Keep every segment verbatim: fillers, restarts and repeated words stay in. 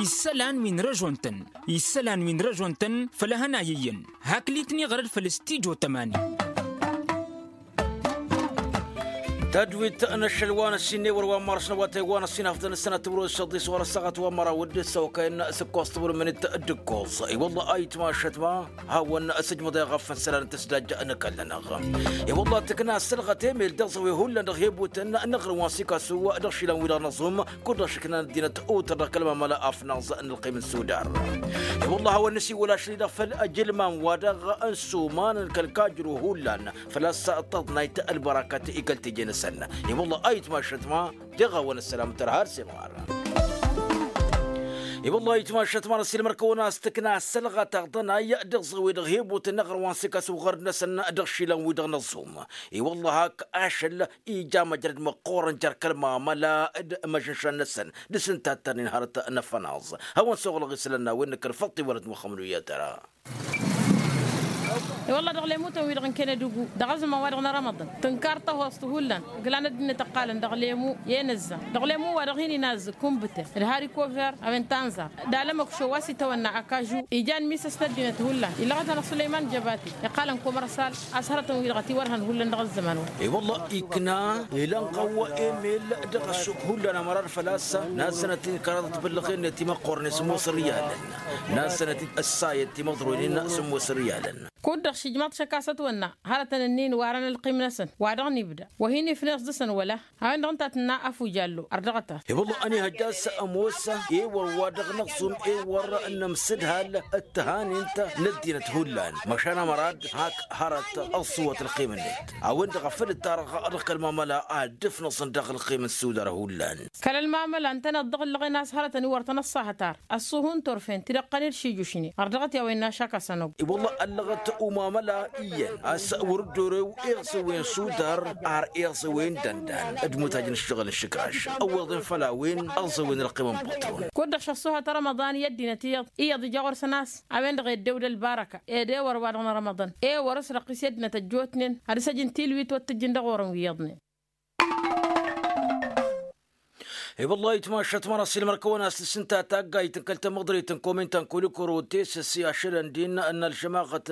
Isălan wi n-răžon-tăn isălan wi n-răžon-tăn făll-ehăn a iyyăn. Hak litni ɣărăd făll-stijo tămani. Tadwit n-ašăl wa n-ăssin n-ewăr wa n-măra s-năwatay wa n-ăssin afḍăn s-sănat timǝrwen s-săḍis wa n-ăssaɣăt wa n-măraw d-săwăkayăn s-ǝkkoẓ timǝrwen n-tǝddǝkkoẓ. I-wălla a itmašăt ma hawăn sǝjmăḍ eɣăf n-isălan n-tǝsdajja n-ăkall-nănăɣ. I-wălla tǝkna ăssălɣăt emel dăɣ-zăwwe hullan dăɣ-hebutăn n-aɣrǝm wa n-sikasu dăɣ-išilan-wi-dăɣ n-aẓum. Kud-dăɣ šǝknan ăddinăt utăr dăɣ-kăl-mamăla afnaẓ n-ălqim n-sudar. I-wălla a hawăn-nǝsiwǝl ašăl-i-dăɣ făll-ajǝlmam wa dăɣ-n suman n-kăl-kajru hullan făl-a-s tăḍnayt ălbărakat i-kăl-teje n-săn. I-wălla a itmašăt ma deɣ-awăn ăssălam tărha ălsimar. I-wălla a itmašăt ma n-ăssilmăr-kăwăn a-s tǝkna ăssălɣăt aɣḍănay dăɣ-zăwwe dăɣ-hebutăn n-aɣrǝm wa n-sikasu ɣărd-năsăn dăɣ-išilan-wi-dăɣ n-aẓum. I-wălla hak ašăl ija măjrăd măqqoorăn jer-kăl-mamăla d-imăžžăšan-năsăn d-asǝntattărnen hărăt n-afănaẓ. Hawăn-soɣlăɣ isălan n-a-wen n-kăl-făṭṭi wălăt muxămăd wi i-ad-tăra. I-wălla dăɣ-lemutăn-wi-dăɣ n-kenădugu dăɣ-azǝman-wa-dăɣ n-rămăḍăn tǝnkar tăhost hullan ǝglan ăddinăt ǝqqalăn dăɣ-lemu i-enǝzza dăɣ-lemu wa dăɣ-hin-inazzǝk kumbǝte d-harikover a-wen tanzar d-alămăkšo wa s-itawănna akažu. Ijan misăs n-ăddinăt hullan ilăɣăt-anăɣ sulăyman jăbati iqqalăn komărsal a-s hărătăn-wi-dăɣ ătiwărhăn hullan dăɣ-ăzzăman-wăn. I-wălla ikna ilanɣăw emel dăɣ-ăššuk hullan amărar făl-a-s nazzănăt-in kăraḍăt bǝllăɣ-en timăqqornen sǝmmos riyalăn. Nazzănăt-dd ăssayăt timăḍroynen sǝmmos riyalăn. Kud-dăɣ šǝjmaḍ šăkk a-s ătwănna hărătăn-ǝnnin warăn ălqim-năsăn wa dăɣ-nibda wa hin-ifneẓ dăɣ-săn wăla. A-wen-dăɣ ǝnta a tǝnna afujallo ărdăɣăt-as. I-wălla ănihăjja a-s ămoos ewăr wa dăɣ-năɣsum ewăr n-amsǝdhal d-tăhanint n-ăddinăt hullan măšan amărad hak hărăt ăṣṣuwăt ălqim-net. A-wen-dăɣ a făl ǝttarăɣ dăɣ-kăl-mamăla ad-dd-ǝfnăẓăn dăɣ-ălqim n-sudar hullan. Kăl-ălmamăla ǝntăneḍ dăɣ-ǝllăɣen a-s hărătăn-i wăr tăn-ăṣṣahăt ar ăṣṣuhu n-turfen tidăqqănen d-šijušnen ărdăɣăt i-a-wa innă ašak a-s ănogg. I-wălla ăllăɣăt umamăla iyyăn a-s wăr-dd-orew iɣsǝwen sudar ar iɣsǝwen dăndal d-mutaj n-ǝššăɣǝl n-išǝkraš ăwweḍen făll-a-wen ăẓẓăwen ălqim n-păṭrun. Kud-dăɣ šăṣṣuhăt rămăḍan i-ăddinăt iyyăḍ iyyăḍ ija ɣur-săn a-s a-wen-dăɣ eddew d-ălbarăka ed ewăr-wa-dăɣ n-rămăḍan ewăr s-răqqis i-ăddinăt ăjjootnen ad-ǝsăj n-tilwit wăr tǝjjǝn dăɣ-orăn wi iyyăḍnen. I-wăllah itmašat măra s-ilmăr-kăwăn a-s tǝssǝnta taggayt n-kăl-tamăḍrit n-komin ta n-kulikuru tesăs i-ašălăn din n-ălžămaɣăt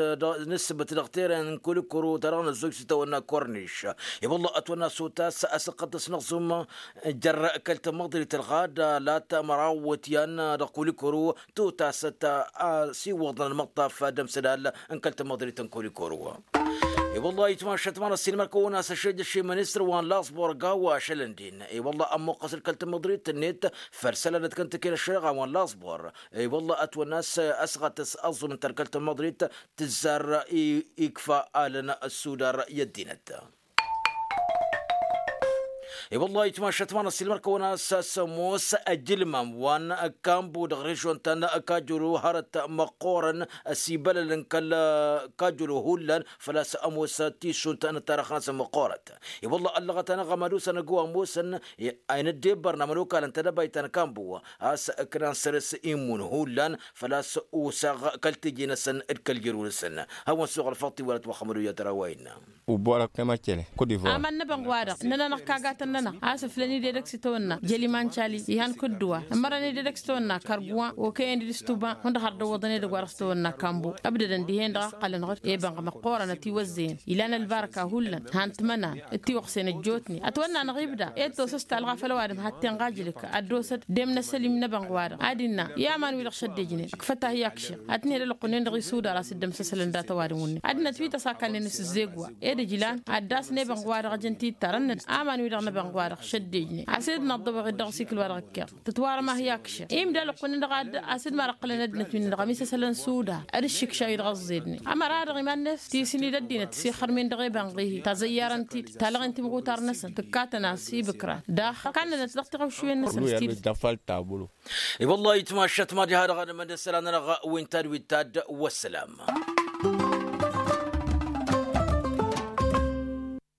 n-ǝssǝbǝt dăɣ-teren n-kulikuru ta dăɣ-năzzoj s-tawănna korniš. I-wăllah ătwănna s-otas a-s ăqqăddăs n-aẓum jer-kăl-tamăḍrit ălɣada la tamărawăt i-an dăɣ-kulikuru tutasăt a-s iwwăḍăn ălmăṭṭaf d-amsădal n-kăl-tamăḍrit n-kulikuru. I-wăllah itmašat măra s-ilmăr-kăwăn a-s ăššejăš i-ministăr wa n-laẓbor gawa ašălăn din. I-wăllah ămmuqqăs-dd kăl-tamăḍrit-net făll-isălan d-kăntăken ăššăreɣa wa n-laẓbor. I-wăllah ătwănna a-s ăsɣătăs aẓum ǝnta d-kăl-tamăḍrit tǝzzar ikfa alăn ăssudar i-ăddinăt. I-wăllah itmašat măra s-ilmăr-kăwăn a-s ămoos ăjǝlmam wa n-kambu dăɣ-režon ta n-kajulu hărăt măqqoorăn ăsibălălăn kăl-kajulu hullan făl-a-s ămoos tisunt n-ăttarăx-năsăn măqqoorăt. I-wăllah ăllăɣăt-anăɣ ămadus-anăgg wa ămoosăn a inăddebbărna mănokalăn tadăbayt ta n-kambu a-s ǝknan săr-s immun hullan făl-a-s usaɣ kăl-teje-năsăn d-kăl-jărun-săn. Hawăn-suɣ ălfăḍt iwălăt wa xămădu i-ad-tăra wa innă. Uborăk temăcele kudivor. Aman n-ebănɣ-wa-dăɣ ǝnnănăɣ kagatăn-nănăɣ a-s ǝflăn-dd edăgg s-itawănna jăliman cali ihan kǝddǝwa ǝmmărăn-dd edăgg s-itawănna karguwa okăyăn-dd s-tuba hundăɣ har dăwwăḍăn edăgg-wa-dăɣ s-itawănna kambu. Ǝbdădăn dihen-dăɣ a ǝqqălăn-dăɣ ebănɣ măqqoorăn ătiwăzzăyăn ilan ălbarka hullan han-t-mănan d-tiwăɣsen ăjjootnen ătwănna-năɣ ibda ed tosăs talɣa făll-ăwadǝm had-tenɣa ajǝlǝk ad-dd-osăd d-emn asălim n-ebănɣ-wa-dăɣ ad-innă i-aman-wi-dăɣ šăddejnen ǝkfăt-ahi akšir ad-tǝnhed ălqǝnnen dăɣ-isudar a-s dd-ămsăsălăn dat-ăwadǝm-wǝnnin ăddinăt wi tăsakkalnen s-ǝzzeg wa ed ǝjlan ad-dd-asǝn ebănɣ-wa-dăɣ ăjăn tittărăn aman-wi-dăɣ n-ebănɣ-wa-dăɣ šăddejnen a-s ed năḍḍăwăɣ-dd dăɣ-asikǝl-wa-dăɣ ǝkkeɣ tǝtwarăm ahi akšir imda ălqǝnnen dăɣ-ad-asǝd ma dăɣ-qǝlăn ăddinăt wi-dăɣ ămisăsălăn sudar ad-ǝššǝkša-wi-dăɣ ăẓẓednen ămăra-dăɣ iman-net tisǝn-dd ăddinăt tǝsixxărmen dăɣ-ebănɣ-ihi tazăyyarăn-t-dd talăɣen timɣutar-năsăn tǝkkatăn-as ibǝkran daɣ kannănăt dăɣ-tiɣăwšiwen-năsăn s-tidǝt. I-wăllah itmašat mad-iha dăɣ-ad-ămăndăsăl anănăɣ wen tadwit ta dd-wăssălam.